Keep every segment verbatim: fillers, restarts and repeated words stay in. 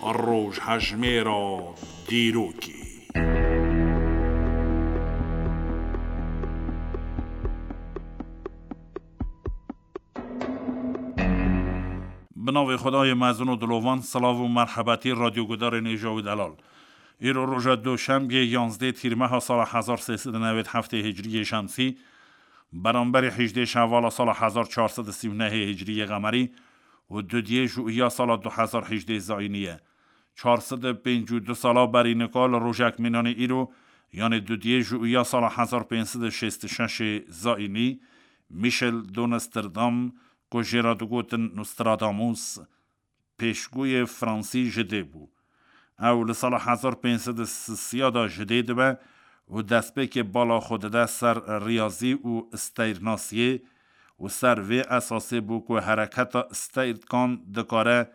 Rojhejmêra dîrokê. Bi navê Xwedayê mezin û dilovan, silav û merhebetî radyogudarên êja û delal. Îro roja Doşembiyê, yanzdê Tîrmeha sala hezar sê sed û newêd heftê Hicriyê Şemsî, beramberî hejdê Şevala sala hezar çar sed û sî û nehê Hicriyê Qemerî û dudiyê Jûiya sala du hezar hejdê Zayînî ye. Çar sed û pêncî û du sala berî nika li rojek mînanê îro, yanê dudiyê Jûiya sala hezar pênc sed û şêst û şeşê Zayînî, Michel de Nostradam, ku jê re digotin Nostradamus, pêşgûyê Fransî ji dê bû. Ew li sala hezar pênc sed û sisiya de ji dê dibe û destpêkê bala xwe dide ser riyazî û steyrnasiyê û ser vê esasê bû ku hereketa steyrkan dikare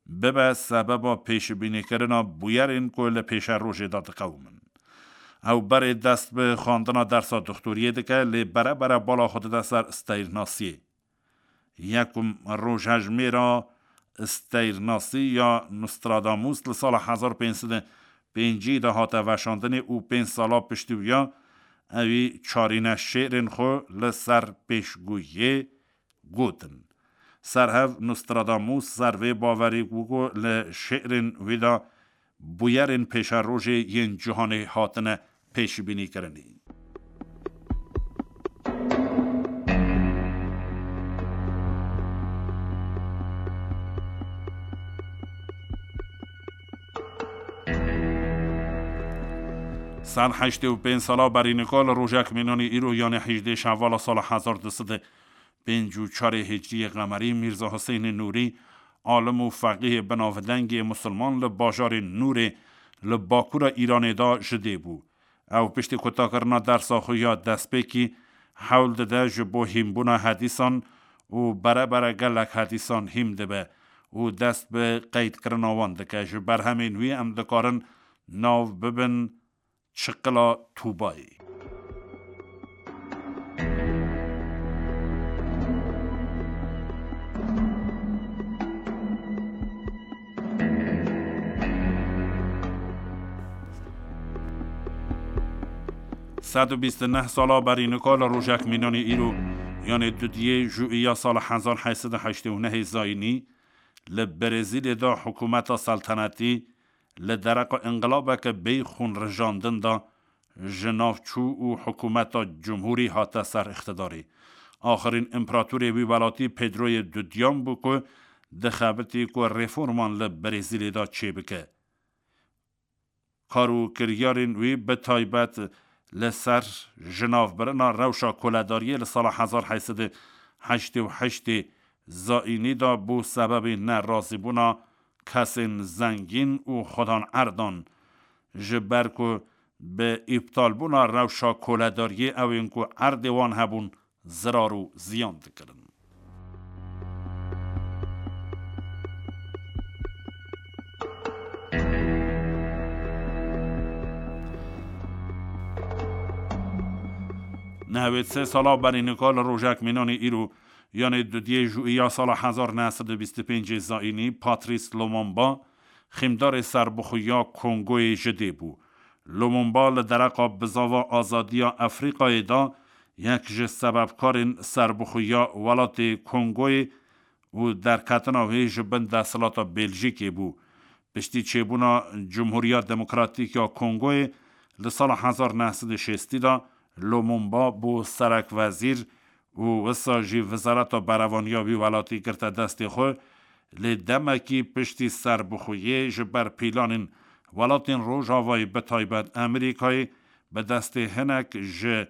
bibe sebeba pêşbînîkirina bûyerên ku li pêşerojê de diqewimin. Ew berê dest bi xwendina dersa doxtoriyê dike, lê bere bere bala xwe dide ser steyrnasiyê. Yekum rojhejmêra steyrnasî ya Nostradamus li sala hezar pênc sed û pêncî de hate veşandinê û pênc sala piştî wiya ewî çarîne şêrên xwe li ser pêşgûyê gotin. Serhev Nostradamus ser vê baverî bû ku li şêrên wî de bûyerên pêşerojê yên cîhanê hatine pêşbînîkirinê. Ser heştê û pênc sala berî nika li rojek mînanî îro, yanê hejdê Şevala sala hezar du sed û pêncî û çarê Hicriyê Qemerî, Mîrza Huseynê Nûrî, alim û feqîhê binavdengê musulman li bajarê Nûrê li bakûra Îranê de ji dê bû. Ew piştî kutakirina dersa xwe ya destpêkî hewl dide ji bo hînbûna hedîsan û bere bere gelek hedîsan hîn dibe û dest bi qeydkirina wan dike. Ji berhemên wî em dikarin nav bibin Çiqila Tûbayê. Sed û bîst û neh sala berî nika li rojek mînanê îro, yanê dudiyê Jûiya sala hezar heyt sed û heştê û nehê Zayînî, li Brezîlyê de hikûmeta seltenetî li dereqa înqilabeke bêyî xûnrijandin de ji nav çû û hikûmeta cumhûrî hate ser îqtidarê. Axirîn împeratorê wî welatî Pedroyê Dudiyan bû ku dixebitî ku reforman li Brezîlyê de çêbike. Kar û kiryarên wî bi taybet li ser jinavbirina rewşa koledariyê li sala hezar heyt sed û heştê û heştê Zayînî de bû sebebê nerazîbûna kesên zengîn û xwedan erdan, ji ber ku bi îptalbûna rewşa koledariyê ew ên ku erdê wan hebûn zirar û ziyan dikirin. Nehwêd sê sala berî nika li rojek mînanê îro, yanê dudiyê Jûiya sala hezar neh sed û bîst û pêncê Zayînî, Patrice Lumumba, xîmdarê serbixweya Kongoyê ji dê bû. Lumumba li dereqa bizava azadiya Efrîqayê de yek ji sebebkarên serbixweya welatê Kongoyê û derketina wê ji bin desthilata Bêljîkê bû. Piştî çêbûna Cumhuriya Demokratîk ya Kongoyê li sala hezar neh sed û şêstî de Lumumba bû serekwezîr û wisa jî wizareta berevaniya wî welatî girte destê xwe, lê demekî piştî serbixweyê ji ber pîlanên welatên Rojavayê, bi taybet Amerîkayê, bi destê hinek ji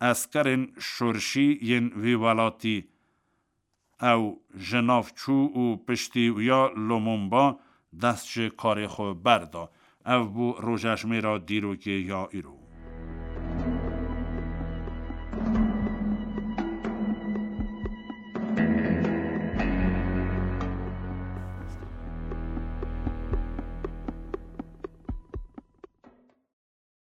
eskerên şorşî yên wî welatî ew ji nav çû û piştî wiya Lumumba dest ji karê xwe berda. Ev bû rojejmêra dîrokê ya îro.